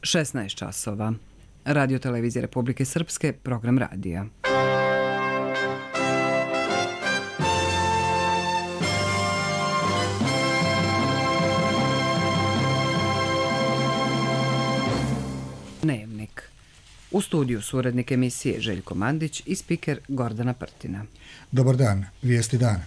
16 časova. Radio televizije Republike Srpske, program radija. Dnevnik. U studiju su urednik emisije Željko Mandić i spiker Gordana Prtina. Dobar dan, vijesti dana.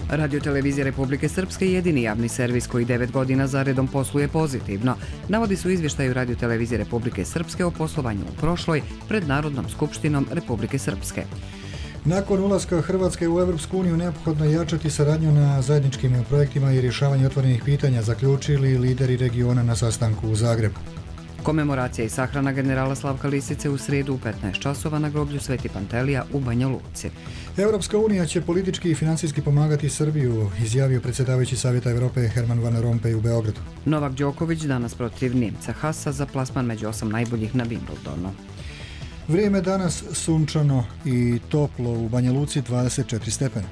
Radio televizija Republike Srpske je jedini javni servis koji 9 godina zaredom posluje pozitivno. Navodi su izvještaju Radio televizije Republike Srpske o poslovanju u prošloj pred Narodnom skupštinom Republike Srpske. Nakon ulaska Hrvatske u Europsku uniju neophodno je jačati saradnju na zajedničkim projektima i rješavanju otvorenih pitanja, zaključili lideri regiona na sastanku u Zagrebu. Komemoracija i sahrana generala Slavka Lisice u srijedu u 15 časova na groblju Sveti Pantelija u Banja Luci. Europska unija će politički i financijski pomagati Srbiju, izjavio predsjedavajući Savjeta Europe Herman Van Rompuy u Beogradu. Novak Đoković danas protiv Njemca Hasa za plasman među 8 najboljih na Wimbledonu. Vrijeme danas sunčano i toplo, u Banja Luci 24 stepena.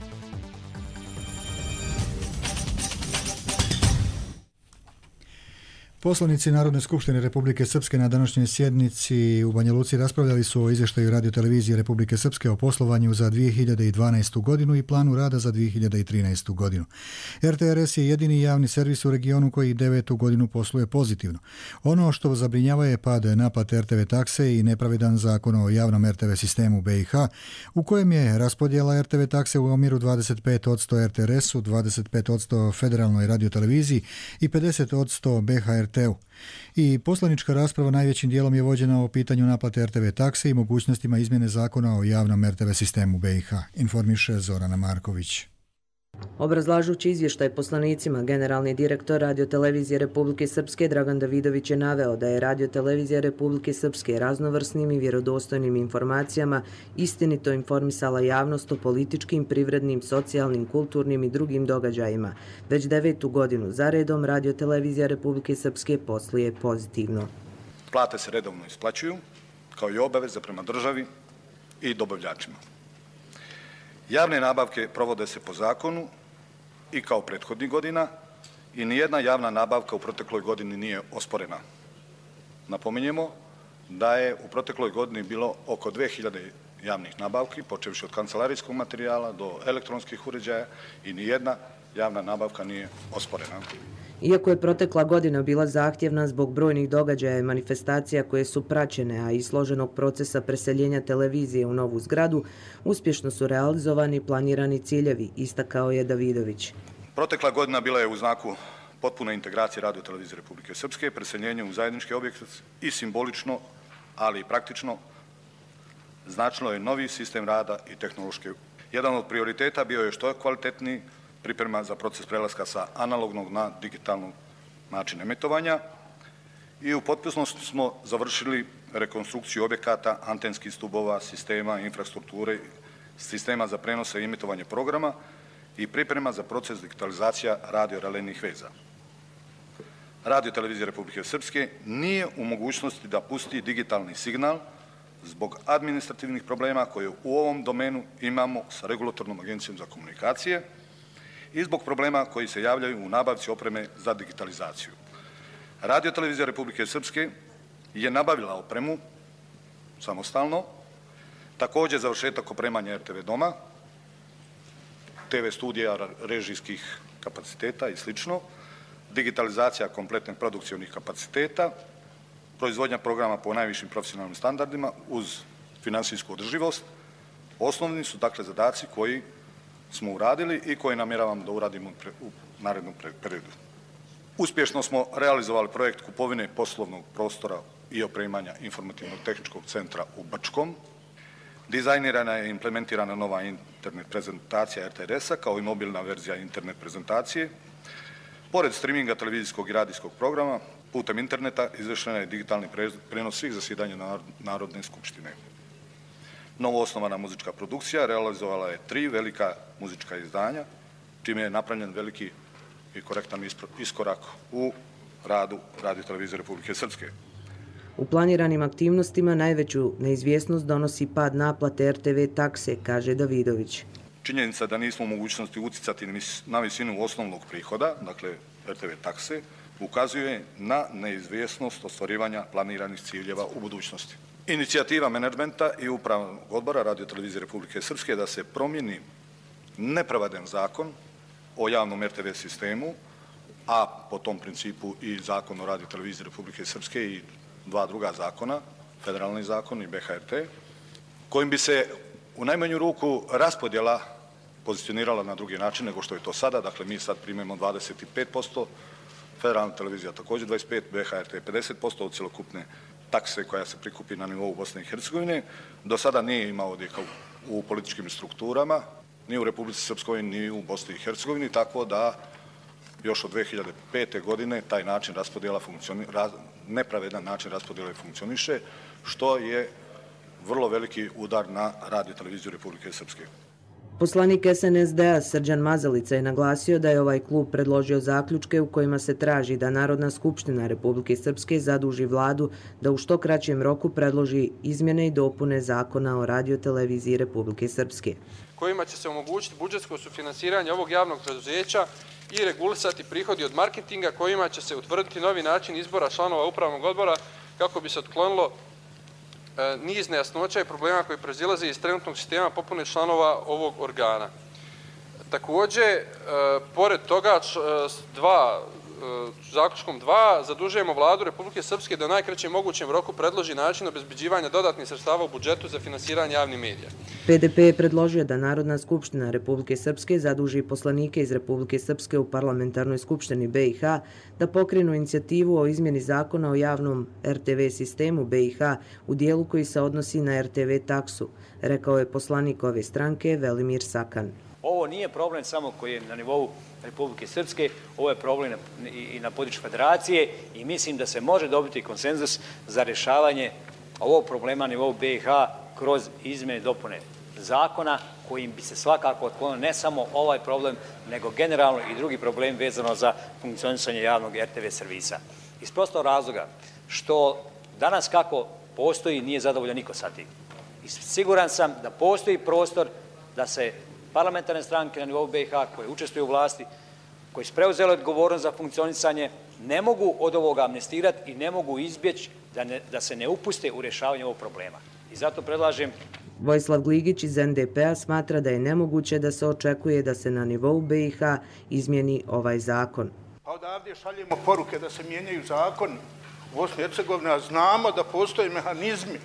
Poslanici Narodne skupštine Republike Srpske na današnjoj sjednici u Banja Luci raspravljali su o izvještaju Radio televizije Republike Srpske o poslovanju za 2012. godinu i planu rada za 2013. godinu. RTRS je jedini javni servis u regionu koji 9. godinu posluje pozitivno. Ono što zabrinjava je pad naplate RTV takse i nepravedan zakon o javnom RTV sistemu BiH, u kojem je raspodjela RTV takse u omjeru 25% RTRS-u, 25% Federalnoj radioteleviziji i 50% BHRT. I poslanička rasprava najvećim dijelom je vođena o pitanju naplate RTV takse i mogućnostima izmjene zakona o javnom RTV sistemu BiH, informiše Zorana Marković. Obrazlažući izvještaj poslanicima, generalni direktor Radio televizije Republike Srpske Dragan Davidović je naveo da je Radio televizija Republike Srpske raznovrsnim i vjerodostojnim informacijama istinito informisala javnost o političkim, privrednim, socijalnim, kulturnim i drugim događajima. Već 9. godinu zaredom Radio televizija Republike Srpske posluje pozitivno. Plate se redovno isplaćuju, kao i obaveze prema državi i dobavljačima. Javne nabavke provode se po zakonu i kao prethodnih godina i nijedna javna nabavka u protekloj godini nije osporena. Napominjemo da je u protekloj godini bilo oko 2000 javnih nabavki, počevši od kancelarijskog materijala do elektronskih uređaja i nijedna javna nabavka nije osporena. Iako je protekla godina bila zahtjevna zbog brojnih događaja i manifestacija koje su praćene, a i složenog procesa preseljenja televizije u novu zgradu, uspješno su realizovani planirani ciljevi, istakao je Davidović. Protekla godina bila je u znaku potpune integracije Radio televizije Republike Srpske, preseljenje u zajednički objekt i simbolično, ali i praktično značilo je novi sistem rada i tehnološke. Jedan od prioriteta bio je što kvalitetniji priprema za proces prelaska sa analognog na digitalnog način emitovanja i u potpunosti smo završili rekonstrukciju objekata, antenskih stubova, sistema, infrastrukture, sistema za prenose i emitovanje programa i priprema za proces digitalizacija radio-relejnih veza. Radio televizija Republike Srpske nije u mogućnosti da pusti digitalni signal zbog administrativnih problema koje u ovom domenu imamo sa Regulatornom agencijom za komunikacije i zbog problema koji se javljaju u nabavci opreme za digitalizaciju. Radio televizija Republike Srpske je nabavila opremu samostalno, također završetak opremanja RTV doma, TV studija, režijskih kapaciteta i sl., digitalizacija kompletnih produkcionih kapaciteta, proizvodnja programa po najvišim profesionalnim standardima uz finansijsku održivost. Osnovni su dakle zadaci koji smo uradili i koje namjeravamo da uradimo u narednom periodu. Uspješno smo realizovali projekt kupovine poslovnog prostora i opremanja informativno-tehničkog centra u Brčkom. Dizajnirana je i implementirana nova internet prezentacija RTRS-a kao i mobilna verzija internet prezentacije. Pored streaminga televizijskog i radijskog programa, putem interneta izvršena je digitalni prenos svih zasjedanja Narodne skupštine. Novo osnovana muzička produkcija realizovala je 3 velika muzička izdanja, čime je napravljen veliki i korektan iskorak u radu Radio televizije Republike Srpske. U planiranim aktivnostima najveću neizvjesnost donosi pad naplate RTV takse, kaže Davidović. činjenica da nismo u mogućnosti utjecati na visinu osnovnog prihoda, dakle RTV takse, ukazuje na neizvjesnost ostvarivanja planiranih ciljeva u budućnosti. Inicijativa menadžmenta i upravnog odbora Radiotelevizije Republike Srpske da se promijeni nepravedan zakon o javnom RTV sistemu, a po tom principu i zakon o Radioteleviziji Republike Srpske i dva druga zakona, federalni zakon i BHRT, kojim bi se u najmanju ruku raspodjela pozicionirala na drugi način nego što je to sada. Dakle, mi sad primimo 25%, federalna televizija također 25%, BHRT 50% od cjelokupne takse koja se prikupi na nivou Bosne i Hercegovine. Do sada nije imao odjeka u političkim strukturama, ni u Republici Srpskoj, ni u Bosni i Hercegovini, tako da još od 2005. godine taj način raspodjela nepravedan način raspodjele funkcioniše, što je vrlo veliki udar na Radioteleviziju Republike Srpske. Poslanik SNSD-a Srđan Mazalica je naglasio da je ovaj klub predložio zaključke u kojima se traži da Narodna skupština Republike Srpske zaduži vladu da u što kraćem roku predloži izmjene i dopune zakona o Radioteleviziji Republike Srpske, kojima će se omogućiti budžetsko sufinansiranje ovog javnog preduzeća i regulisati prihodi od marketinga, kojima će se utvrditi novi način izbora članova upravnog odbora kako bi se otklonilo niz nejasnoća i problema koji proizilaze iz trenutnog sistema popune članova ovog organa. Također, pored toga, zaključkom 2 zadužujemo vladu Republike Srpske da u najkraćem mogućem roku predloži način obezbeđivanja dodatnih sredstava u budžetu za finansiranje javnih medija. PDP je predložio da Narodna skupština Republike Srpske zaduži poslanike iz Republike Srpske u parlamentarnoj skupštini BiH da pokrenu inicijativu o izmjeni zakona o javnom RTV sistemu BiH u dijelu koji se odnosi na RTV taksu, rekao je poslanik ove stranke Velimir Sakan. Ovo nije problem samo koji je na nivou Republike Srpske, ovo je problem i na području federacije i mislim da se može dobiti konsenzus za rješavanje ovog problema na nivou BiH kroz izmjene i dopune zakona kojim bi se svakako otklonio ne samo ovaj problem, nego generalno i drugi problem vezano za funkcionisanje javnog RTV servisa. Iz prostog razloga što danas kako postoji nije zadovoljan niko sa tim. I siguran sam da postoji prostor da se parlamentarne stranke na nivou BiH koje učestvuju u vlasti, koji su preuzeli odgovornost za funkcionisanje, ne mogu od ovoga amnestirati i ne mogu izbjeći da se ne upuste u rješavanje ovog problema. I zato predlažem... Vojislav Gligić iz NDP-a smatra da je nemoguće da se očekuje da se na nivou BiH izmijeni ovaj zakon. A odavdje šaljemo poruke da se mijenjaju zakoni u Bosni i Hercegovini, a znamo da postoje mehanizmi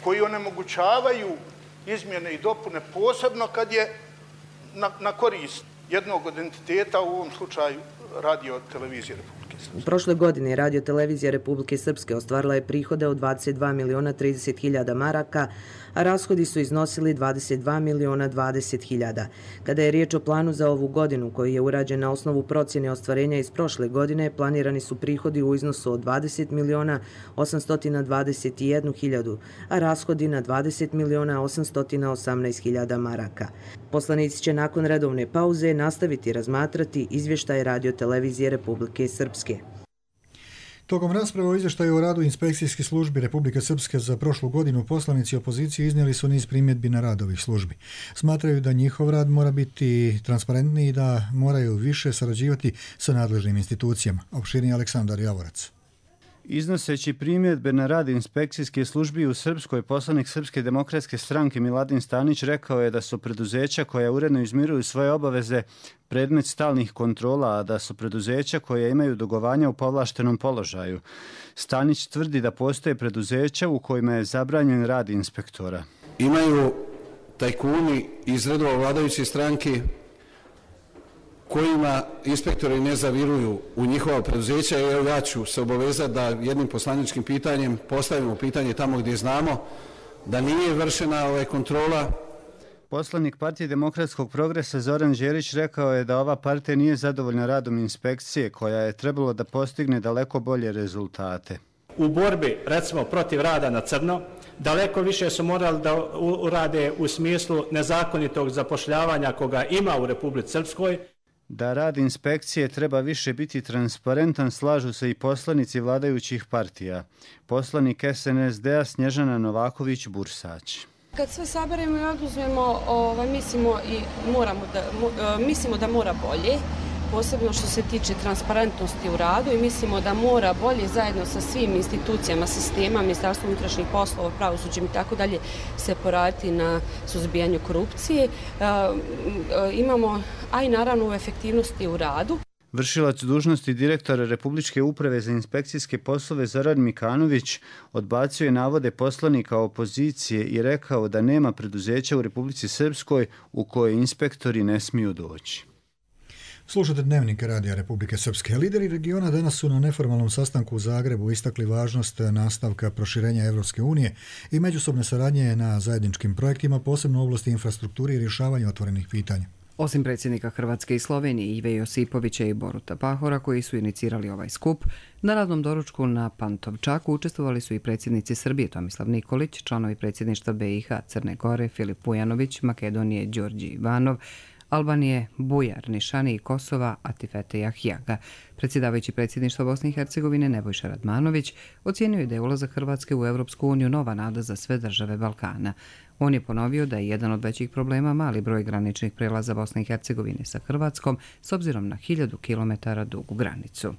koji onemogućavaju izmjene i dopune, posebno kad je na korist jednog od entiteta, u ovom slučaju Radiotelevizije Republike Srpske. U prošle godine Radiotelevizija Republike Srpske ostvarila je prihode od 22.030.000 maraka, a rashodi su iznosili 22.020.000. Kada je riječ o planu za ovu godinu, koji je urađen na osnovu procjene ostvarenja iz prošle godine, planirani su prihodi u iznosu od 20.821.000, a rashodi na 20.818.000 maraka. Poslanici će nakon redovne pauze nastaviti razmatrati izvještaje Radiotelevizije Republike Srpske. Tokom rasprave o izvještaju o radu inspekcijskih službi Republike Srpske za prošlu godinu poslanici opozicije iznijeli su niz primjedbi na rad ovih službi. Smatraju da njihov rad mora biti transparentniji i da moraju više sarađivati sa nadležnim institucijama. Opširniji Aleksandar Javorac. Iznoseći primjedbe na rad inspekcijske službi u Srpskoj, poslanik Srpske demokratske stranke Miladin Stanić rekao je da su preduzeća koja uredno izmiruju svoje obaveze predmet stalnih kontrola, a da su preduzeća koja imaju dugovanja u povlaštenom položaju. Stanić tvrdi da postoje preduzeća u kojima je zabranjen rad inspektora. Imaju tajkuni iz redova vladajuće stranke kojima inspektori ne zaviruju u njihova preduzeća. Evo, ja ću se obavezati da jednim poslaničkim pitanjem postavimo pitanje tamo gdje znamo da nije vršena kontrola. Poslanik Partije demokratskog progresa Zoran Đerić rekao je da ova partija nije zadovoljna radom inspekcije, koja je trebalo da postigne daleko bolje rezultate. U borbi, recimo, protiv rada na crno, daleko više su morali da urade u smislu nezakonitog zapošljavanja koga ima u Republici Srpskoj. Da rad inspekcije treba više biti transparentan, slažu se i poslanici vladajućih partija. Poslanik SNSD-a Snježana Novaković-Bursać. Kad sve saberemo i oduzmemo, mislimo da mora bolje, posebno što se tiče transparentnosti u radu i mislimo da mora bolje zajedno sa svim institucijama sistema, Ministarstvom unutrašnjih poslova, pravosuđem i tako dalje se poraditi na suzbijanju korupcije. Imamo, a i naravno u efektivnosti u radu. Vršilac dužnosti direktora Republičke uprave za inspekcijske poslove Zoran Mikanović odbacio je navode poslanika opozicije i rekao da nema preduzeća u Republici Srpskoj u koje inspektori ne smiju doći. Slušate Dnevnik Radija Republike Srpske. Lideri regiona danas su na neformalnom sastanku u Zagrebu istakli važnost nastavka proširenja Evropske unije i međusobne saradnje na zajedničkim projektima, posebno u oblasti infrastrukture i rješavanja otvorenih pitanja. Osim predsjednika Hrvatske i Slovenije Ive Josipovića i Boruta Pahora, koji su inicirali ovaj skup, na radnom doručku na Pantovčaku učestvovali su i predsjednici Srbije Tomislav Nikolić, članovi predsjedništva BiH Crne Gore Filip Pujanović, Makedonije Đorđe Ivanov, Albanije Bujar Nišani i Kosova Atifete Jahjaga. Predsjedavajući predsjedništva Bosne i Hercegovine Nebojša Radmanović ocijenio je da je ulazak Hrvatske u Europsku uniju nova nada za sve države Balkana. On je ponovio da je jedan od većih problema mali broj graničnih prelaza Bosne i Hercegovine sa Hrvatskom s obzirom na 1000 km dugu granicu.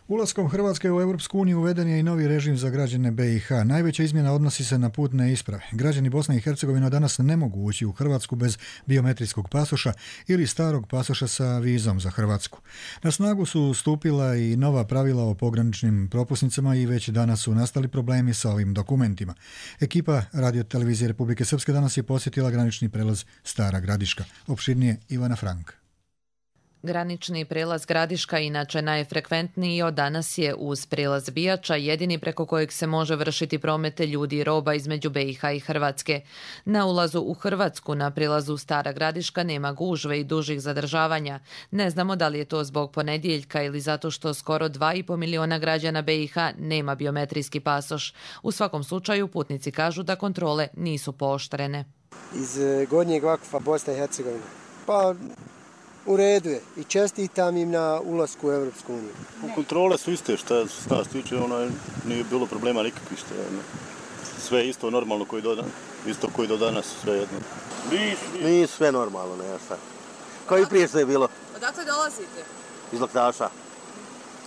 Ulaskom Hrvatske u Europsku uniju uveden je i novi režim za građane BiH. Najveća izmjena odnosi se na putne isprave. Građani Bosne i Hercegovine danas ne mogu ući u Hrvatsku bez biometrijskog pasoša ili starog pasoša sa vizom za Hrvatsku. Na snagu su stupila i nova pravila o pograničnim propusnicama i već danas su nastali problemi sa ovim dokumentima. Ekipa Radio televizije Republike Srpske danas je posjetila granični prelaz Stara Gradiška. Opširnije Ivana Frank. Granični prelaz Gradiška inače najfrekventniji od danas je uz prelaz Bijača, jedini preko kojeg se može vršiti promete ljudi i roba između BiH i Hrvatske. Na ulazu u Hrvatsku na prelazu Stara Gradiška nema gužve i dužih zadržavanja. Ne znamo da li je to zbog ponedjeljka ili zato što skoro 2,5 miliona građana BiH nema biometrijski pasoš. U svakom slučaju putnici kažu da kontrole nisu pooštrene. Iz Gornjeg Vakufa, Bosna i Hercegovina. Pa u redu je i čestitam im na ulasku u Evropsku uniju. Kontrole su iste, šta se nas tiče, nije bilo problema nikakvih. Sve je isto normalno isto koji do danas, sve jedno. Nije sve normalno, ne sad. Kao i prije što je bilo. Odakle dolazite? Iz Loktaša.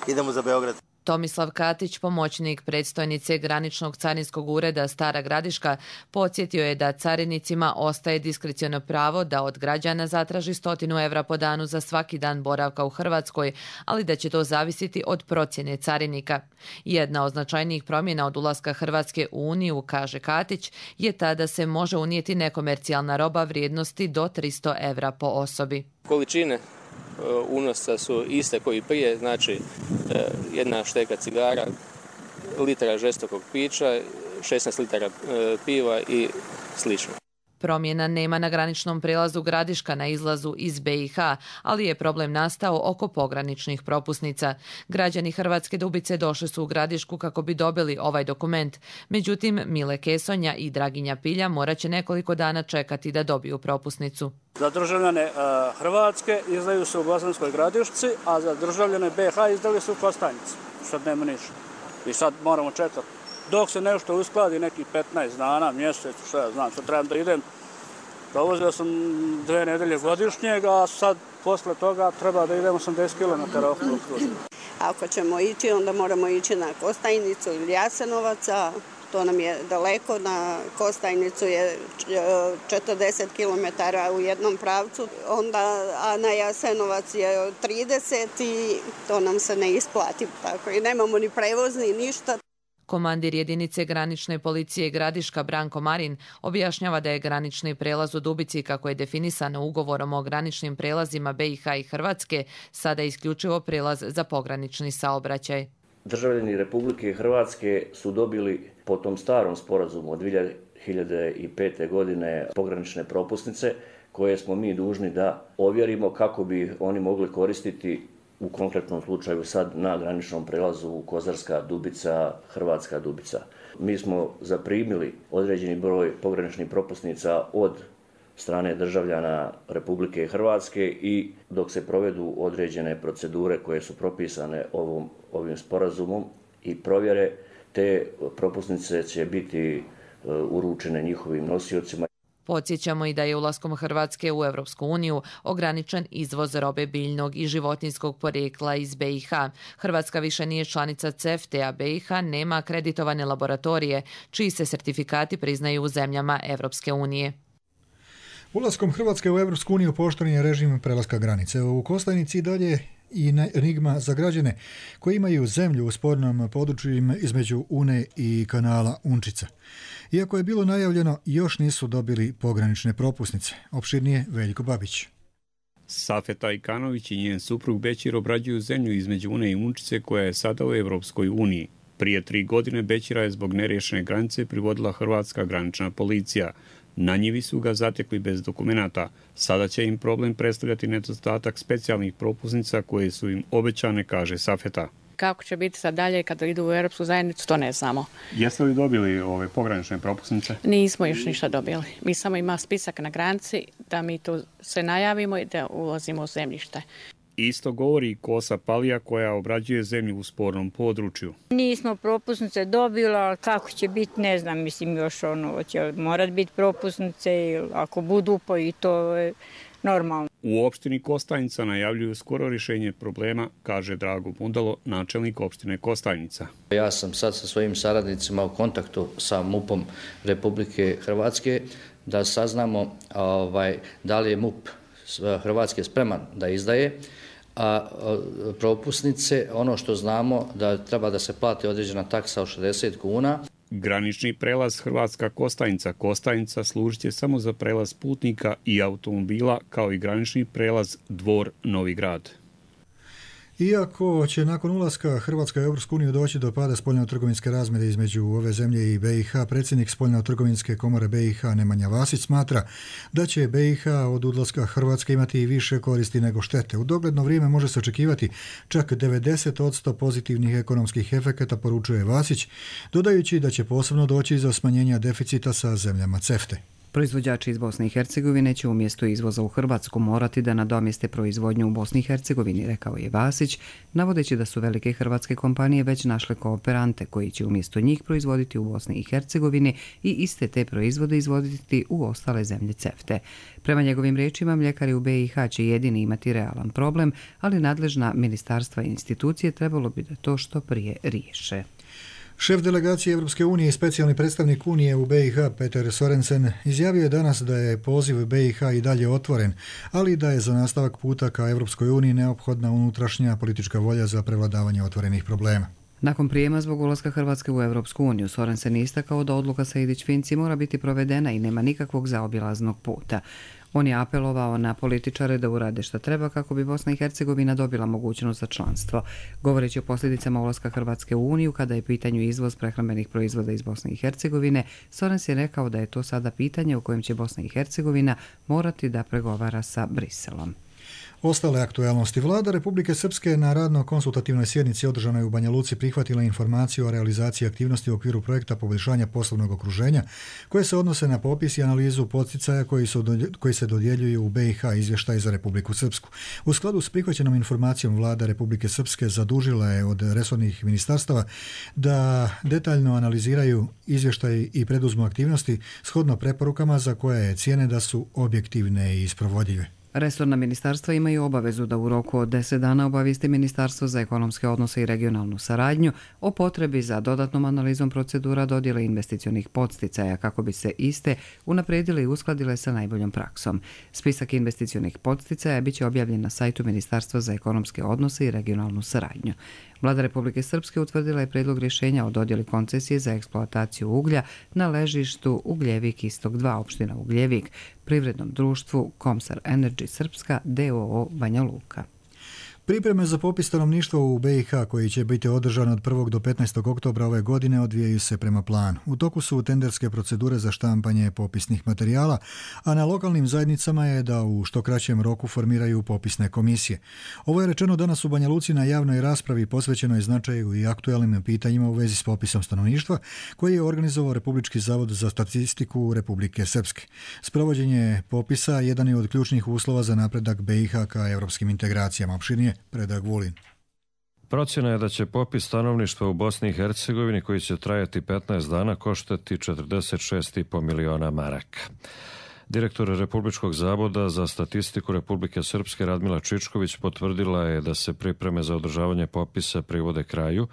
Idemo za Beograd. Tomislav Katić, pomoćnik predstojnice Graničnog carinskog ureda Stara Gradiška, podsjetio je da carinicima ostaje diskreciono pravo da od građana zatraži 100 evra po danu za svaki dan boravka u Hrvatskoj, ali da će to zavisiti od procjene carinika. Jedna od značajnijih promjena od ulaska Hrvatske u Uniju, kaže Katić, je ta da se može unijeti nekomercijalna roba vrijednosti do 300 evra po osobi. Količine unosa su iste koji prije, znači jedna šteka cigara, litara žestokog pića, 16 litara piva i slično. Promjena nema na graničnom prelazu Gradiška na izlazu iz BiH, ali je problem nastao oko pograničnih propusnica. Građani Hrvatske Dubice došli su u Gradišku kako bi dobili ovaj dokument. Međutim, Mile Kesonja i Draginja Pilja morat će nekoliko dana čekati da dobiju propusnicu. Za državljane Hrvatske izdaju se u Bosanskoj Gradišci, a za državljane BiH izdali su u Kostajnici. Sad nema ništa. I sad moramo čekati. Dok se nešto uskladi, nekih 15 dana, mjesec, što ja znam, sad trebam da idem. Dovozio sam 2 nedelje godišnjeg, a sad posle toga treba da idem 80 km okolo kruža. Ako ćemo ići, onda moramo ići na Kostajnicu ili Jasenovaca. To nam je daleko, na Kostajnicu je 40 km u jednom pravcu, a na Jasenovac je 30 i to nam se ne isplati. Tako i nemamo ni prevoz ni ništa. Komandir jedinice granične policije Gradiška Branko Marin objašnjava da je granični prelaz u Dubici, kako je definisano ugovorom o graničnim prelazima BiH i Hrvatske, sada isključivo prelaz za pogranični saobraćaj. Državljani Republike Hrvatske su dobili po tom starom sporazumu od 2005. godine pogranične propusnice koje smo mi dužni da ovjerimo kako bi oni mogli koristiti u konkretnom slučaju sad na graničnom prelazu Kozarska Dubica, Hrvatska Dubica. Mi smo zaprimili određeni broj pograničnih propusnica od strane državljana Republike Hrvatske i dok se provedu određene procedure koje su propisane ovim sporazumom i provjere, te propusnice će biti uručene njihovim nosiocima. Podsjećamo i da je ulaskom Hrvatske u Evropsku uniju ograničen izvoz robe biljnog i životinjskog porijekla iz BiH. Hrvatska više nije članica CEFTA, a BiH nema akreditovane laboratorije, čiji se sertifikati priznaju u zemljama Evropske unije. Ulaskom Hrvatske u Evropsku uniju pooštren je režim prelaska granice. U Kostajnici dalje i enigma za građane koji imaju zemlju u spornom području između Une i kanala Unčica. Iako je bilo najavljeno, još nisu dobili pogranične propusnice. Opširnije Veljko Babić. Safeta Ikanović i njen suprug Bećir obrađuju zemlju između Une i Unčice koja je sada u Evropskoj uniji. Prije 3 godine Bećira je zbog neriješene granice privodila hrvatska granična policija. Na njivi su ga zatekli bez dokumenata. Sada će im problem predstavljati nedostatak specijalnih propusnica koje su im obećane, kaže Safeta. Kako će biti sad dalje kada idu u Europsku zajednicu, to ne znamo. Jeste li dobili ove pogranične propusnice? Nismo još ništa dobili. Mi samo ima spisak na granici da mi tu se najavimo i da ulazimo u zemljište. Isto govori i Kosa Palija koja obrađuje zemlju u spornom području. Nismo propusnice dobili, ali kako će biti, ne znam, mislim još će morat biti propusnice, ako budu pa i to je normalno. U opštini Kostajnica najavljuju skoro rješenje problema, kaže Drago Mudalo, načelnik opštine Kostajnica. Ja sam sad sa svojim saradnicima u kontaktu sa MUP-om Republike Hrvatske da saznamo da li je MUP Hrvatske spreman da izdaje propusnice. Ono što znamo da treba da se plati određena taksa od 60 kuna. Granični prelaz Hrvatska Kostajnica. Kostajnica služit će samo za prelaz putnika i automobila, kao i granični prelaz Dvor Novi Grad. Iako će nakon ulaska Hrvatske u Europsku uniju doći do pada spoljno-trgovinske razmjere između ove zemlje i BiH, predsjednik spoljno-trgovinske komore BiH Nemanja Vasić smatra da će BiH od odlaska Hrvatske imati više koristi nego štete. U dogledno vrijeme može se očekivati čak 90% pozitivnih ekonomskih efekata, poručuje Vasić, dodajući da će posebno doći do smanjenja deficita sa zemljama CEFTA. Proizvođači iz Bosne i Hercegovine će umjesto izvoza u Hrvatsku morati da nadomjeste proizvodnju u Bosni i Hercegovini, rekao je Vasić, navodeći da su velike hrvatske kompanije već našle kooperante koji će umjesto njih proizvoditi u Bosni i Hercegovini i iste te proizvode izvoditi u ostale zemlje CEFTA. Prema njegovim riječima, mljekari u BiH će jedini imati realan problem, ali nadležna ministarstva i institucije trebalo bi da to što prije riješe. Šef delegacije Europske unije i specijalni predstavnik Unije u BiH Peter Sorensen izjavio je danas da je poziv BiH i dalje otvoren, ali da je za nastavak puta ka Europskoj uniji neophodna unutrašnja politička volja za prevladavanje otvorenih problema. Nakon prijema zbog ulaska Hrvatske u Europsku uniju, Sorensen je istakao da odluka Sejdić-Finci mora biti provedena i nema nikakvog zaobilaznog puta. On je apelovao na političare da urade što treba kako bi Bosna i Hercegovina dobila mogućnost za članstvo. Govoreći o posljedicama ulaska Hrvatske u Uniju, kada je pitanju izvoz prehrambenih proizvoda iz Bosne i Hercegovine, Sorens je rekao da je to sada pitanje u kojem će Bosna i Hercegovina morati da pregovara sa Briselom. Ostale aktualnosti. Vlada Republike Srpske na radno-konsultativnoj sjednici održanoj u Banja Luci prihvatila informaciju o realizaciji aktivnosti u okviru projekta poboljšanja poslovnog okruženja koje se odnose na popis i analizu podsticaja koji se dodjeljuju u BiH, izvještaj za Republiku Srpsku. U skladu s prihvaćenom informacijom Vlada Republike Srpske zadužila je od resornih ministarstava da detaljno analiziraju izvještaj i preduzmu aktivnosti shodno preporukama za koje je cijene da su objektivne i isprovodive. Resorna ministarstva imaju obavezu da u roku od 10 dana obavijeste Ministarstvo za ekonomske odnose i regionalnu saradnju o potrebi za dodatnom analizom procedura dodjele investicionih podsticaja kako bi se iste unaprijedile i uskladile sa najboljom praksom. Spisak investicionih podsticaja biće objavljen na sajtu Ministarstva za ekonomske odnose i regionalnu saradnju. Vlada Republike Srpske utvrdila je prijedlog rješenja o dodjeli koncesije za eksploataciju uglja na ležištu Ugljevik Istok 2, opština Ugljevik, privrednom društvu Komsar Energy Srpska d.o.o. Banja Luka. Pripreme za popis stanovništva u BiH koji će biti održan od 1. do 15. oktobra ove godine odvijaju se prema planu. U toku su tenderske procedure za štampanje popisnih materijala, a na lokalnim zajednicama je da u što kraćem roku formiraju popisne komisije. Ovo je rečeno danas u Banja Luci na javnoj raspravi posvećenoj značaju i aktualnim pitanjima u vezi s popisom stanovništva koji je organizovao Republički zavod za statistiku Republike Srpske. Sprovođenje popisa jedan je od ključnih uslova za napredak BiH ka evropskim integracijama. Opširnije Predrag Vulin. Procjena je da će popis stanovništva u Bosni i Hercegovini, koji će trajati 15 dana, koštati 46,5 miliona maraka. Direktor Republičkog zavoda za statistiku Republike Srpske Radmila Čičković potvrdila je da se pripreme za održavanje popisa privode kraju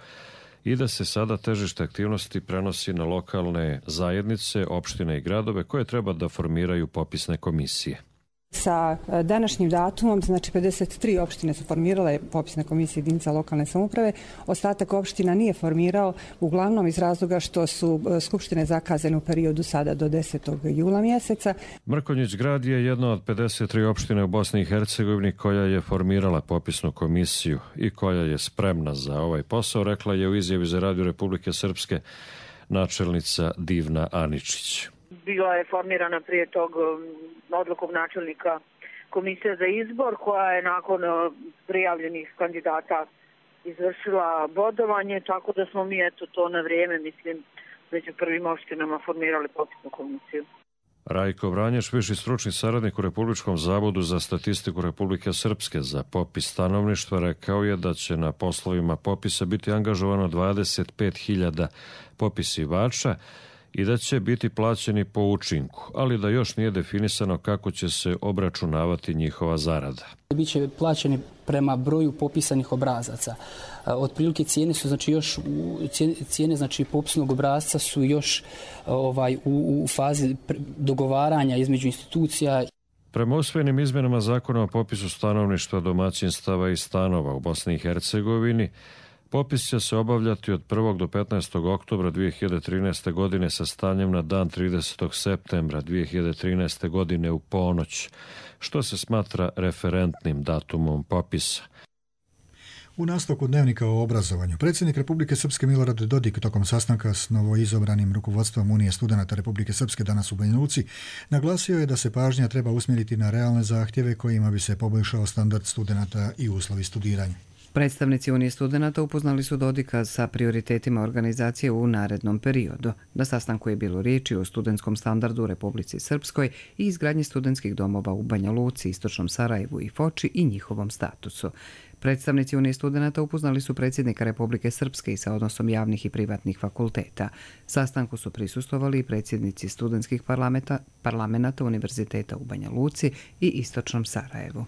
i da se sada težište aktivnosti prenosi na lokalne zajednice, opštine i gradove koje treba da formiraju popisne komisije. Sa današnjim datumom, znači 53 opštine su formirale popisne komisije jedinica lokalne samouprave, ostatak opština nije formirao, uglavnom iz razloga što su skupštine zakazane u periodu sada do 10. jula mjeseca. Mrkonjić grad je jedna od 53 opštine u Bosni i Hercegovini koja je formirala popisnu komisiju i koja je spremna za ovaj posao, rekla je u izjavi za Radio Republike Srpske načelnica Divna Aničić. Bila je formirana prije tog odlukom načelnika komisija za izbor koja je nakon prijavljenih kandidata izvršila bodovanje, tako da smo mi to na vrijeme, mislim, među prvim opštinama formirali popisnu komisiju. Rajko Vranješ, viši stručni saradnik u Republičkom zavodu za statistiku Republike Srpske za popis stanovništva, rekao je da će na poslovima popisa biti angažovano 25.000 popisivača i da će biti plaćeni po učinku, ali da još nije definisano kako će se obračunavati njihova zarada. Biće plaćeni prema broju popisanih obrazaca. Otprilike cijene su cijene popisnog obrazca su još u fazi dogovaranja između institucija. Prema usvojenim izmjenama zakona o popisu stanovništva, domaćinstava i stanova u Bosni i Hercegovini, popis će se obavljati od 1. do 15. oktobra 2013. godine sa stanjem na dan 30. septembra 2013. godine u ponoć, što se smatra referentnim datumom popisa. U nastavku dnevnika o obrazovanju, predsjednik Republike Srpske Milorad Dodik tokom sastanka s novoizabranim rukovodstvom Unije studenata Republike Srpske danas u Banja Luci naglasio je da se pažnja treba usmjeriti na realne zahtjeve kojima bi se poboljšao standard studenata i uslovi studiranja. Predstavnici Unije studenata upoznali su Dodika sa prioritetima organizacije u narednom periodu. Na sastanku je bilo riječi o studentskom standardu u Republici Srpskoj i izgradnji studentskih domova u Banja Luci, Istočnom Sarajevu i Foči i njihovom statusu. Predstavnici Unije studenata upoznali su predsjednika Republike Srpske i sa odnosom javnih i privatnih fakulteta. Sastanku su prisustvovali i predsjednici studentskih parlamenata Univerziteta u Banja Luci i Istočnom Sarajevu.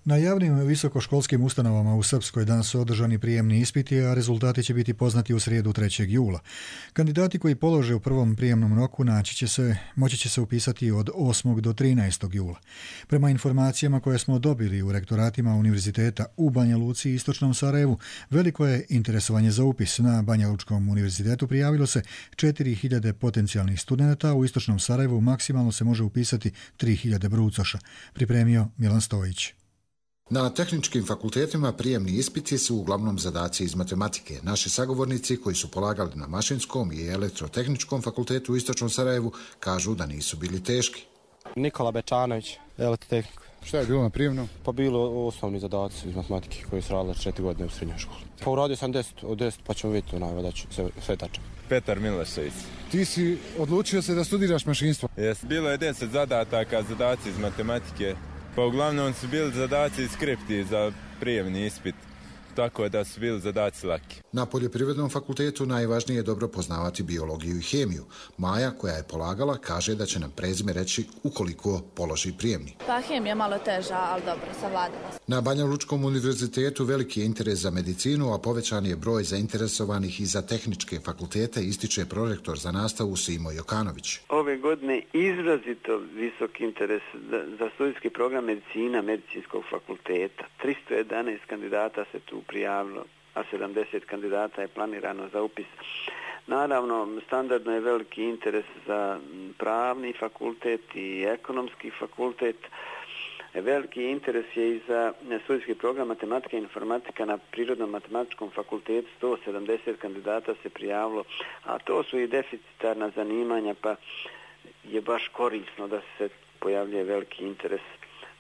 Na javnim visokoškolskim ustanovama u Srpskoj danas su održani prijemni ispiti, a rezultati će biti poznati u srijedu 3. jula. Kandidati koji polože u prvom prijemnom roku moći će se upisati od 8. do 13. jula. Prema informacijama koje smo dobili u rektoratima Univerziteta u Banja Luci i Istočnom Sarajevu, veliko je interesovanje za upis. Na Banja Lučkom univerzitetu prijavilo se 4.000 potencijalnih studenata, u Istočnom Sarajevu maksimalno se može upisati 3.000 brucoša, pripremio Milan Stojić. Na tehničkim fakultetima prijemni ispiti su uglavnom zadaci iz matematike. Naši sagovornici koji su polagali na Mašinskom i Elektrotehničkom fakultetu u Istočnom Sarajevu kažu da nisu bili teški. Nikola Bečanović, Elektrotehniku. Šta je bilo na prijemnom? Pa bilo osnovni zadaci iz matematike koji su radili 4 godine u srednjoj školi. Pa uradio sam 10 od 10 pa ćemo vidjeti da ću sve tačno. Petar Milošević. Ti si odlučio se da studiraš mašinstvo? Jes, bilo je 10 zadataka, zadaci iz matematike. Pa uglavnom su bili zadaci i skripti za prijemni ispit, tako da su bili zadaci laki. Na Poljoprivrednom fakultetu najvažnije je dobro poznavati biologiju i hemiju. Maja, koja je polagala, kaže da će nam prezime reći ukoliko položi prijemni. Pa hemija malo teža, ali dobro, savladala. Na Banja Lučkom univerzitetu veliki je interes za medicinu, a povećan je broj zainteresovanih i za tehničke fakultete, ističe prorektor za nastavu Simo Jokanović. Ove godine izrazito visok interes za studijski program medicina medicinskog fakulteta. 311 kandidata se tu prijavilo, a 70 kandidata je planirano za upis. Naravno, standardno je veliki interes za pravni fakultet i ekonomski fakultet. Veliki interes je i za studijski program matematika i informatika na Prirodnom matematičkom fakultetu. 170 kandidata se prijavilo, a to su i deficitarna zanimanja, pa je baš korisno da se pojavljuje veliki interes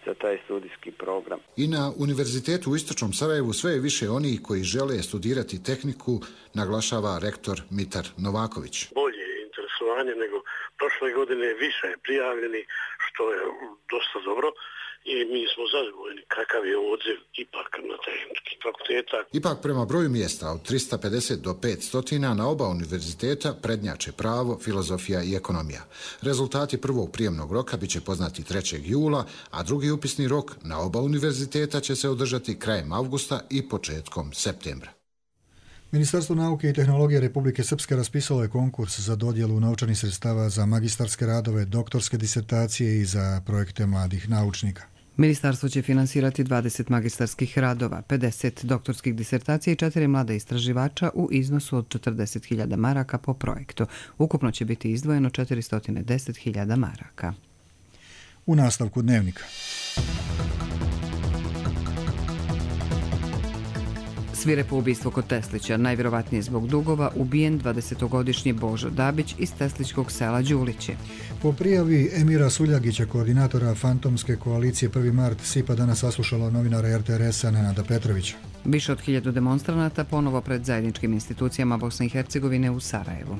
za taj studijski program. I na Univerzitetu u Istočnom Sarajevu sve je više onih koji žele studirati tehniku, naglašava rektor Mitar Novaković. Bolje interesovanje nego prošle prošle godine više prijavljeni, što je dosta dobro. I mi smo zadovoljni kakav je odziv ipak na tehnički fakulteta. Ipak prema broju mjesta od 350 do 500 na oba univerziteta prednjače pravo, filozofija i ekonomija. Rezultati prvog prijemnog roka biće poznati 3. jula, a drugi upisni rok na oba univerziteta će se održati krajem avgusta i početkom septembra. Ministarstvo nauke i tehnologije Republike Srpske raspisalo je konkurs za dodjelu novčanih sredstava za magistarske radove, doktorske disertacije i za projekte mladih naučnika. Ministarstvo će finansirati 20 magistarskih radova, 50 doktorskih disertacija i 4 mlada istraživača u iznosu od 40.000 maraka po projektu. Ukupno će biti izdvojeno 410.000 maraka. U nastavku dnevnika. Svirepo ubistvo kod Teslića, najvjerovatnije zbog dugova, ubijen 20-godišnji Božo Dabić iz tesličkog sela Đulići. Po prijavi Emira Suljagića, koordinatora fantomske koalicije 1. mart, SIPA danas saslušala novinara RTRS-a Nenada Petrovića. Više od 1000 demonstranata ponovo pred zajedničkim institucijama Bosne i Hercegovine u Sarajevu.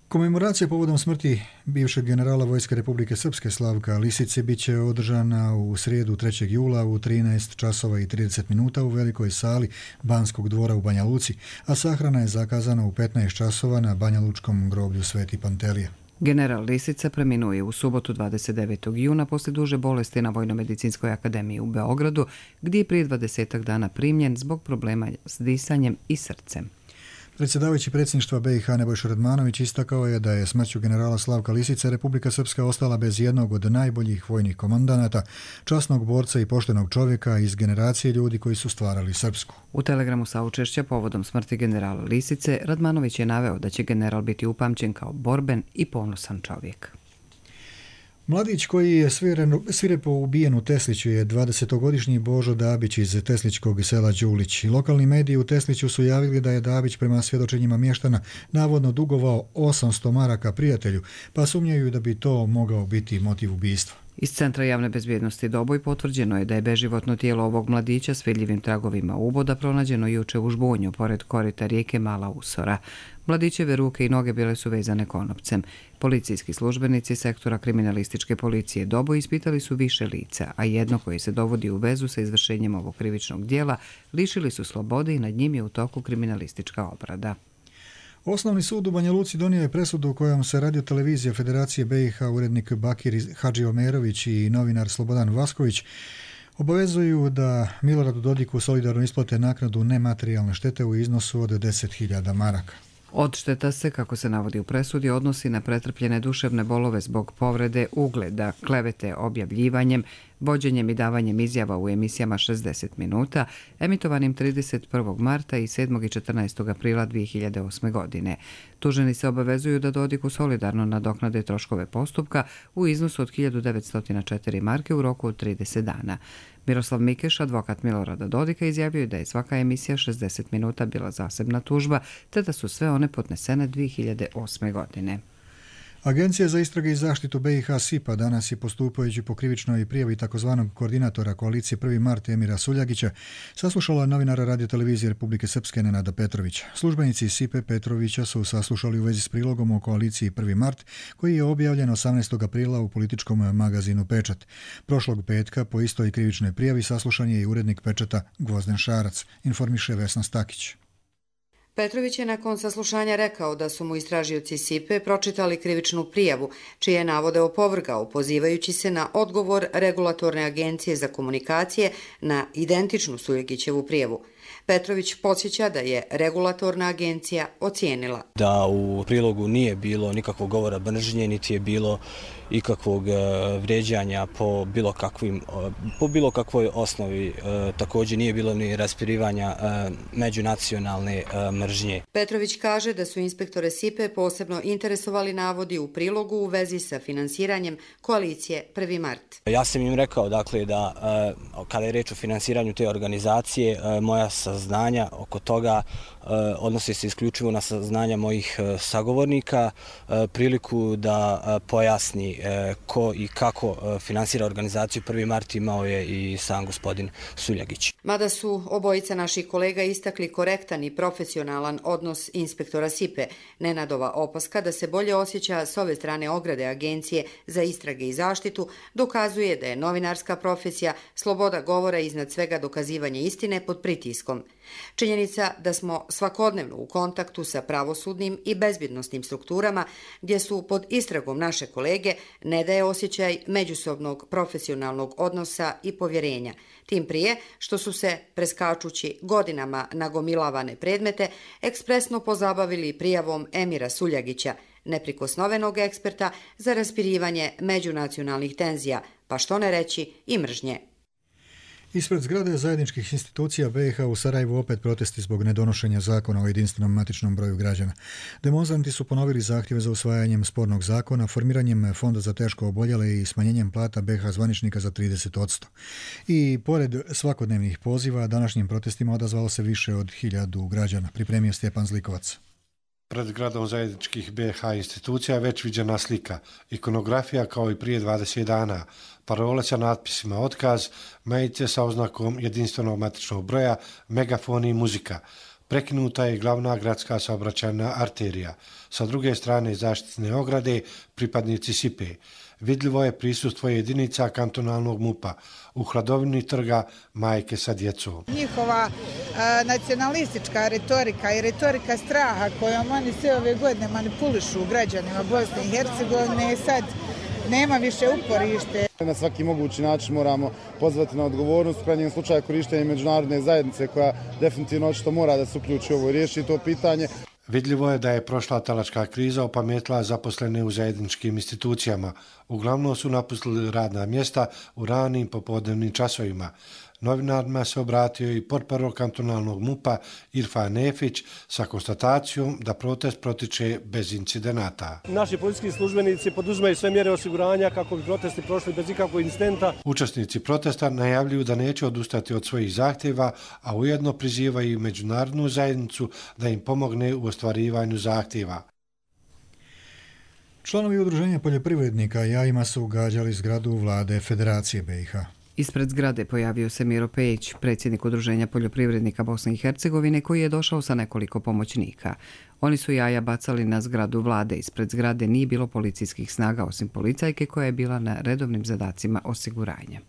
Komemoracija povodom smrti bivšeg generala Vojske Republike Srpske Slavka Lisice biće održana u srijedu 3. jula u 13 časova i 30 minuta u velikoj sali Banskog dvora u Banja Luci, a sahrana je zakazana u 15 časova na Banjalučkom groblju Sveti Pantelija. General Lisica preminuo je u subotu 29. juna poslije duže bolesti na Vojno-medicinskoj akademiji u Beogradu, gdje je prije 20 dana primljen zbog problema s disanjem i srcem. Predsjedavajući predsjedništva BiH Nebojša Radmanović istakao je da je smrću generala Slavka Lisice Republika Srpska ostala bez jednog od najboljih vojnih komandanata, časnog borca i poštenog čovjeka iz generacije ljudi koji su stvarali Srpsku. U telegramu saučešća povodom smrti generala Lisice, Radmanović je naveo da će general biti upamćen kao borben i ponosan čovjek. Mladić koji je svirepo ubijen u Tesliću je 20-godišnji Božo Dabić iz tesličkog sela Đulić. Lokalni mediji u Tesliću su javili da je Dabić prema svjedočenjima mještana navodno dugovao 800 maraka prijatelju, pa sumnjaju da bi to mogao biti motiv ubistva. Iz Centra javne bezbjednosti Doboj potvrđeno je da je beživotno tijelo ovog mladića s vidljivim tragovima uboda pronađeno juče u Žbunju, pored korita rijeke Mala Usora. Mladićeve ruke i noge bile su vezane konopcem. Policijski službenici sektora kriminalističke policije Doboj ispitali su više lica, a jedno koje se dovodi u vezu sa izvršenjem ovog krivičnog dijela lišili su slobode i nad njim je u toku kriminalistička obrada. Osnovni sud u Banja Luci donio je presudu u kojom se radiotelevizija Federacije BiH, urednik Bakir Hadžiomerović i novinar Slobodan Vasković obavezuju da Miloradu Dodiku solidarno isplate naknadu nematerijalne štete u iznosu od 10.000 maraka. Odšteta se, kako se navodi u presudi, odnosi na pretrpljene duševne bolove zbog povrede ugleda, klevete objavljivanjem, vođenjem i davanjem izjava u emisijama 60 minuta, emitovanim 31. marta i 7. i 14. aprila 2008. godine. Tuženi se obavezuju da Dodiku solidarno nadoknade troškove postupka u iznosu od 1904 marke u roku od 30 dana. Miroslav Mikeš, advokat Milorada Dodika, izjavio je da je svaka emisija 60 minuta bila zasebna tužba, te da su sve one podnesene 2008. godine. Agencija za istrage i zaštitu BiH SIPA danas je postupajući po krivičnoj prijavi takozvanog koordinatora koalicije 1. mart Emira Suljagića saslušala novinara radiotelevizije Republike Srpske Nenada Petrovića. Službenici SIPE Petrovića su saslušali u vezi s prilogom o koaliciji 1. mart koji je objavljen 18. aprila u političkom magazinu Pečat. Prošlog petka po istoj krivičnoj prijavi saslušan je i urednik Pečata Gvozden Šarac, informiše Vesna Stakić. Petrović je nakon saslušanja rekao da su mu istražioci SIPE pročitali krivičnu prijavu, čije navode opovrgao, pozivajući se na odgovor Regulatorne agencije za komunikacije na identičnu Suljagićevu prijavu. Petrović podsjeća da je Regulatorna agencija ocijenila da u prilogu nije bilo nikakvog govora mržnje, niti je bilo ikakvog vrijeđanja po bilo kakvoj osnovi. Također nije bilo ni raspirivanja međunacionalne mržnje. Petrović kaže da su inspektore SIPE posebno interesovali navodi u prilogu u vezi sa finansiranjem koalicije 1. mart. Ja sam im rekao dakle da kada je reč o finansiranju te organizacije, moja saznanja oko toga odnose se isključivo na saznanja mojih sagovornika, priliku da pojasni ko i kako finansira organizaciju 1. mart imao je i sam gospodin Suljagić. Mada su obojica naših kolega istakli korektan i profesionalan odnos inspektora SIPE, Nenadova opaska da se bolje osjeća s ove strane ograde Agencije za istrage i zaštitu dokazuje da je novinarska profesija, sloboda govora i iznad svega dokazivanje istine pod pritiskom. Činjenica da smo svakodnevno u kontaktu sa pravosudnim i bezbjednosnim strukturama gdje su pod istragom naše kolege ne daje osjećaj međusobnog profesionalnog odnosa i povjerenja, tim prije što su se, preskačući godinama nagomilavane predmete, ekspresno pozabavili prijavom Emira Suljagića, neprikosnovenog eksperta za raspirivanje međunacionalnih tenzija, pa što ne reći i mržnje. Ispred zgrade zajedničkih institucija BiH u Sarajevu opet protesti zbog nedonošenja zakona o jedinstvenom matičnom broju građana. Demonstranti su ponovili zahtjeve za usvajanjem spornog zakona, formiranjem fonda za teško oboljele i smanjenjem plata BiH zvaničnika za 30%. I pored svakodnevnih poziva, današnjim protestima odazvalo se više od 1000 građana, pripremio Stjepan Zlikovac. Pred zgradom zajedničkih BiH institucija je već viđena slika, ikonografija kao i prije 20 dana, parole sa natpisima otkaz, majice sa oznakom jedinstvenog matičnog broja, megafoni i muzika. Prekinuta je glavna gradska saobraćajna arterija. Sa druge strane zaštitne ograde pripadnici SIPE. Vidljivo je prisustvo jedinica kantonalnog MUP-a. U hladovini trga majke sa djecom. Njihova nacionalistička retorika i retorika straha kojom oni sve ove godine manipulišu građanima Bosne i Hercegovine sad nema više uporište. Na svaki mogući način moramo pozvati na odgovornost, u krajnjem slučaju korištenje međunarodne zajednice koja definitivno očito mora da se uključi u ovo i riješi to pitanje. Vidljivo je da je prošla talačka kriza opametila zaposlene u zajedničkim institucijama. Uglavnom su napustili radna mjesta u ranim popodnevnim časovima. Novinarima se obratio i portparol kantonalnog MUP-a Irfan Nefić sa konstatacijom da protest protiče bez incidenata. Naši policijski službenici poduzimaju sve mjere osiguranja kako bi protesti prošli bez ikakvog incidenta. Učesnici protesta najavljuju da neće odustati od svojih zahtjeva, a ujedno prizivaju međunarodnu zajednicu da im pomogne u ostvarivanju zahtjeva. Članovi udruženja poljoprivrednika jajima su gađali zgradu vlade Federacije BiH. Ispred zgrade pojavio se Miro Pejić, predsjednik Udruženja poljoprivrednika Bosne i Hercegovine, koji je došao sa nekoliko pomoćnika. Oni su jaja bacali na zgradu vlade. Ispred zgrade nije bilo policijskih snaga osim policajke koja je bila na redovnim zadacima osiguranja.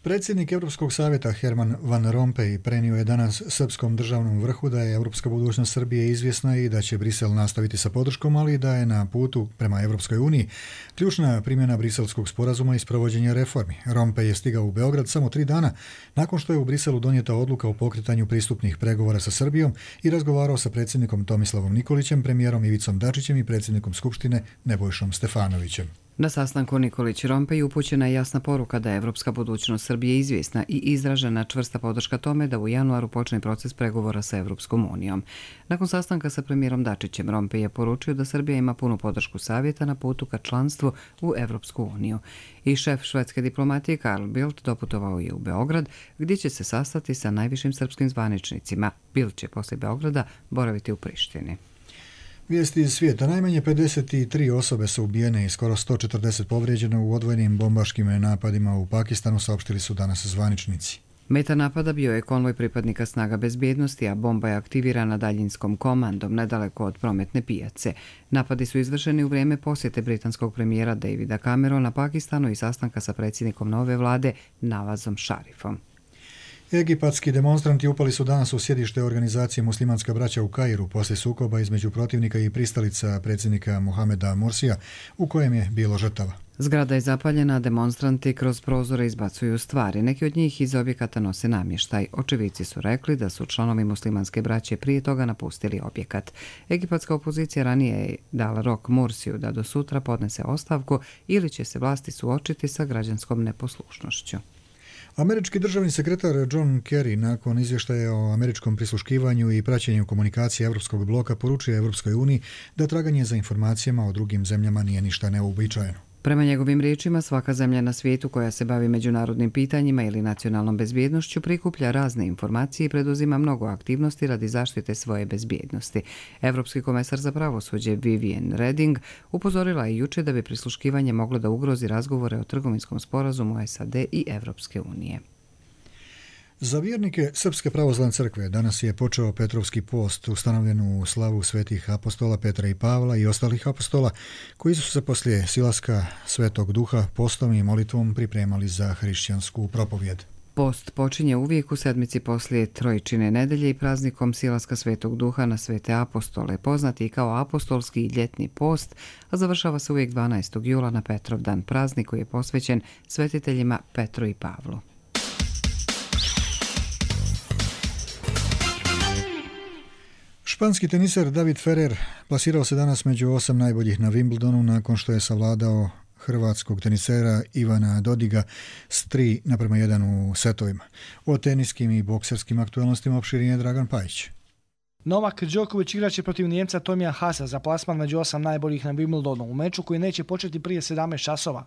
Predsjednik Europskog savjeta Herman Van Rompuy prenio je danas srpskom državnom vrhu da je europska budućnost Srbije izvjesna i da će Brisel nastaviti sa podrškom, ali da je na putu prema Europskoj uniji ključna primjena briselskog sporazuma i sprovođenja reformi. Rompuy je stigao u Beograd samo 3 dana nakon što je u Briselu donijeta odluka o pokretanju pristupnih pregovora sa Srbijom i razgovarao sa predsjednikom Tomislavom Nikolićem, premijerom Ivicom Dačićem i predsjednikom Skupštine Nebojšom Stefanovićem. Na sastanku Nikolić-Rompuy upućena je jasna poruka da je evropska budućnost Srbije izvjesna i izražena čvrsta podrška tome da u januaru počne proces pregovora sa Evropskom unijom. Nakon sastanka sa premijerom Dačićem, Rompuy je poručio da Srbija ima punu podršku savjeta na putu ka članstvu u Evropsku uniju. I šef švedske diplomatije Carl Bildt doputovao je u Beograd, gdje će se sastati sa najvišim srpskim zvaničnicima. Bildt će poslije Beograda boraviti u Prištini. Vijesti iz svijeta. Najmanje 53 osobe su ubijene i skoro 140 povrijeđene u odvojenim bombaškim napadima u Pakistanu, saopštili su danas zvaničnici. Meta napada bio je konvoj pripadnika snaga bezbjednosti, a bomba je aktivirana daljinskom komandom nedaleko od prometne pijace. Napadi su izvršeni u vrijeme posjete britanskog premijera Davida Camerona Pakistanu i sastanka sa predsjednikom nove vlade Nawazom Sharifom. Egipatski demonstranti upali su danas u sjedište organizacije Muslimanska braća u Kairu poslije sukoba između protivnika i pristalica predsjednika Mohameda Morsija, u kojem je bilo žrtava. Zgrada je zapaljena, a demonstranti kroz prozore izbacuju stvari. Neki od njih iz objekata nose namještaj. Očevici su rekli da su članovi Muslimanske braće prije toga napustili objekat. Egipatska opozicija ranije je dala rok Morsiju da do sutra podnese ostavku ili će se vlasti suočiti sa građanskom neposlušnošću. Američki državni sekretar John Kerry nakon izvještaja o američkom prisluškivanju i praćenju komunikacije Evropskog bloka poručuje Evropskoj uniji da traganje za informacijama o drugim zemljama nije ništa neuobičajeno. Prema njegovim riječima, svaka zemlja na svijetu koja se bavi međunarodnim pitanjima ili nacionalnom bezbjednošću prikuplja razne informacije i preduzima mnogo aktivnosti radi zaštite svoje bezbjednosti. Evropski komesar za pravosuđe Viviane Reding upozorila je juče da bi prisluškivanje moglo da ugrozi razgovore o trgovinskom sporazumu SAD i Evropske unije. Za vjernike Srpske pravoslavne crkve danas je počeo Petrovski post ustanovljen u slavu svetih apostola Petra i Pavla i ostalih apostola koji su se poslije silaska Svetog Duha postom i molitvom pripremali za hrišćansku propovjed. Post počinje uvijek u sedmici poslije Trojčine nedelje i praznikom silaska Svetog Duha na svete apostole, poznati kao apostolski ljetni post, a završava se uvijek 12. jula na Petrovdan, praznik koji je posvećen svetiteljima Petru i Pavlu. Španski teniser David Ferrer plasirao se danas među 8 najboljih na Wimbledonu nakon što je savladao hrvatskog tenisera Ivana Dodiga s 3:1 u setovima. O teniskim i bokserskim aktualnostima opširnije Dragan Pajić. Novak Đoković igraće protiv Njemca Tomija Haasa za plasman među 8 najboljih na Wimbledonu u meču koji neće početi prije 17 časova.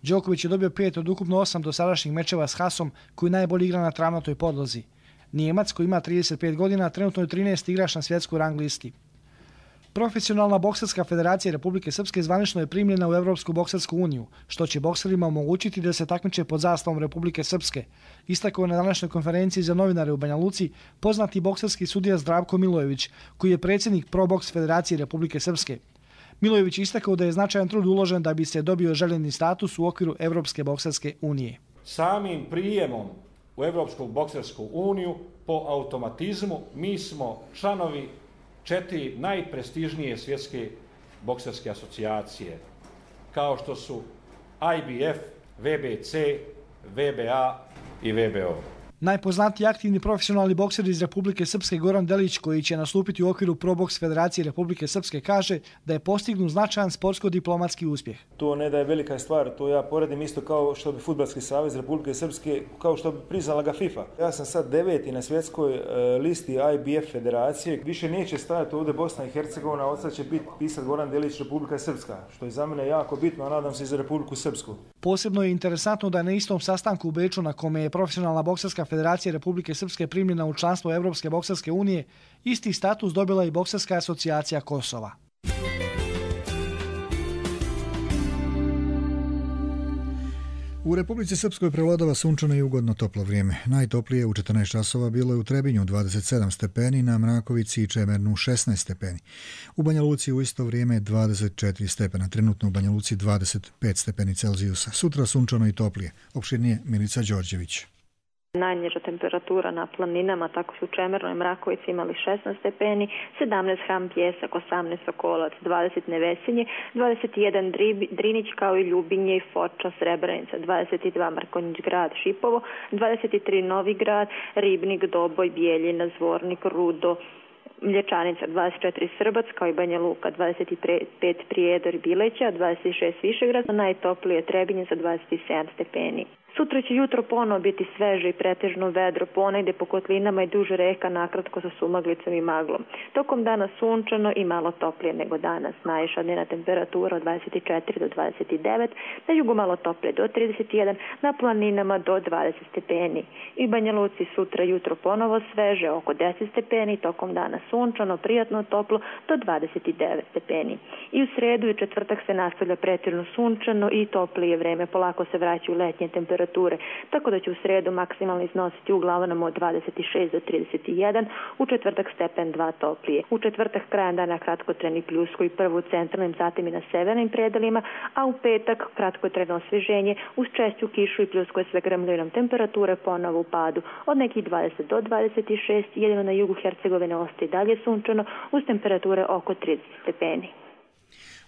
Đoković je dobio 5 od ukupno 8 dosadašnjih mečeva s Haasom koji najbolje igra na travnatoj podlozi. Nijemac koji ima 35 godina trenutno je 13. igrač na svjetskoj rang listi. Profesionalna bokserska federacija Republike Srpske zvanično je primljena u Evropsku boksersku uniju, što će bokserima omogućiti da se takmiče pod zastavom Republike Srpske. Istakao je na današnjoj konferenciji za novinare u Banja Luci poznati bokserski sudija Zdravko Milojević, koji je predsjednik Pro Boks Federacije Republike Srpske. Milojević istakao da je značajan trud uložen da bi se dobio željeni status u okviru Evropske bokserske unije. Samim prijemom u Evropsku boksersku uniju po automatizmu mi smo članovi 4 najprestižnije svjetske bokserske asocijacije, kao što su IBF, VBC, VBA i VBO. Najpoznatiji aktivni profesionalni bokser iz Republike Srpske Goran Delić, koji će nastupiti u okviru Pro Boks Federacije Republike Srpske, kaže da je postignut značajan sportsko-diplomatski uspjeh. To ne da je velika stvar, to ja poredim isto kao što bi Fudbalski savez Republike Srpske, kao što bi priznala ga FIFA. Ja sam sad 9. na svjetskoj listi IBF Federacije. Više neće stajati ovdje Bosna i Hercegovina, od sad će biti pisat Goran Delić Republika Srpska, što je za mene jako bitno, a nadam se i za Republiku Srpsku. Posebno je interesantno da je na istom sastanku u Beču na kome je profesionalna bokserska federacija Republike Srpske primljena u članstvo Evropske bokserske unije, isti status dobila i Bokserska asocijacija Kosova. U Republici Srpskoj prevladava sunčano i ugodno toplo vrijeme. Najtoplije u 14 časova bilo je u Trebinju 27 stepeni, na Mrakovici i Čemernu 16 stepeni. U Banja Luci u isto vrijeme 24 stepena, trenutno u Banja Luci 25 stepeni Celzijusa. Sutra sunčano i toplije. Opširnije Milica Đorđević. Najniža temperatura na planinama, tako su u Čemernoj i Mrakovici imali 16 stepeni, 17 Hram Pjesak, 18 Sokolac, 20 Nevesinje, 21 Drinić kao i Ljubinje i Foča, Srebrenica, 22 Markonjić grad, Šipovo, 23 Novi grad, Ribnik, Doboj, Bijeljina, Zvornik, Rudo, Mlječanica, 24 Srbac kao i Banja Luka, 25 Prijedor i Bileća, 26 Višegrad, najtoplije Trebinje sa 27 stepeni. Sutra će jutro ponovo biti sveže i pretežno vedro, ponegde po kotlinama i duže reka, nakratko sa sumaglicom i maglom. Tokom dana sunčano i malo toplije nego danas. Najviša dnevna temperatura od 24 do 29, na jugu malo toplije do 31, na planinama do 20 stepeni. I u Banja Luci sutra jutro ponovo sveže, oko 10 stepeni, tokom dana sunčano, prijatno toplo do 29 stepeni. I u sredu i četvrtak se nastavlja pretežno sunčano i toplije vreme, polako se vraćaju letnje temperature, tako da će u sredu maksimalno iznositi u Glavanama od 26 do 31, u četvrtak stepen 2 toplije. U četvrtak krajem dana kratkotrajni pljusko i prvo u centralnim, zatim i na severnim predelima, a u petak kratkotrajno osvježenje uz češću kišu i pljusko je sve grmljinom, temperature ponovo u padu od nekih 20 do 26, jedino na jugu Hercegovine ostaje dalje sunčano uz temperature oko 30 stepeni.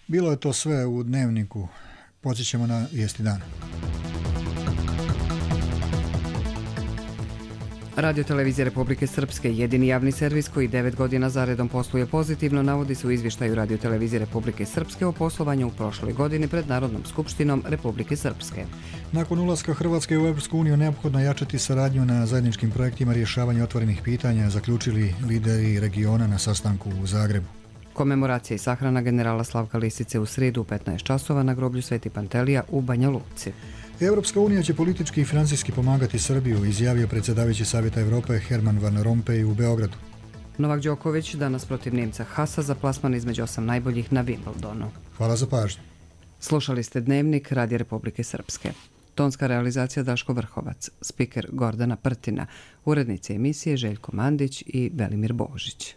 Bilo je to sve u dnevniku. Podsjećamo na vijesti dana. Radio Televizija Republike Srpske, jedini javni servis koji 9 godina zaredom posluje pozitivno, navodi se u izvještaju Radio Televizije Republike Srpske o poslovanju u prošloj godini pred Narodnom skupštinom Republike Srpske. Nakon ulaska Hrvatske u Evropsku uniju neophodno jačati saradnju na zajedničkim projektima rješavanja otvorenih pitanja, zaključili lideri regiona na sastanku u Zagrebu. Komemoracija i sahrana generala Slavka Lisice u srijedu u 15 časova na groblju Sveti Pantelija u Banja Luci. Europska unija će politički i financijski pomagati Srbiju, izjavio predsjedavajući Savjeta Europe Herman Van Rompuy u Beogradu. Novak Đoković danas protiv Njemca Hasa za plasman između 8 najboljih na Wimbledonu. Hvala za pažnju. Slušali ste Dnevnik Radija Republike Srpske. Tonska realizacija Daško Vrhovac, spiker Gordana Prtina, urednici emisije Željko Mandić i Velimir Božić.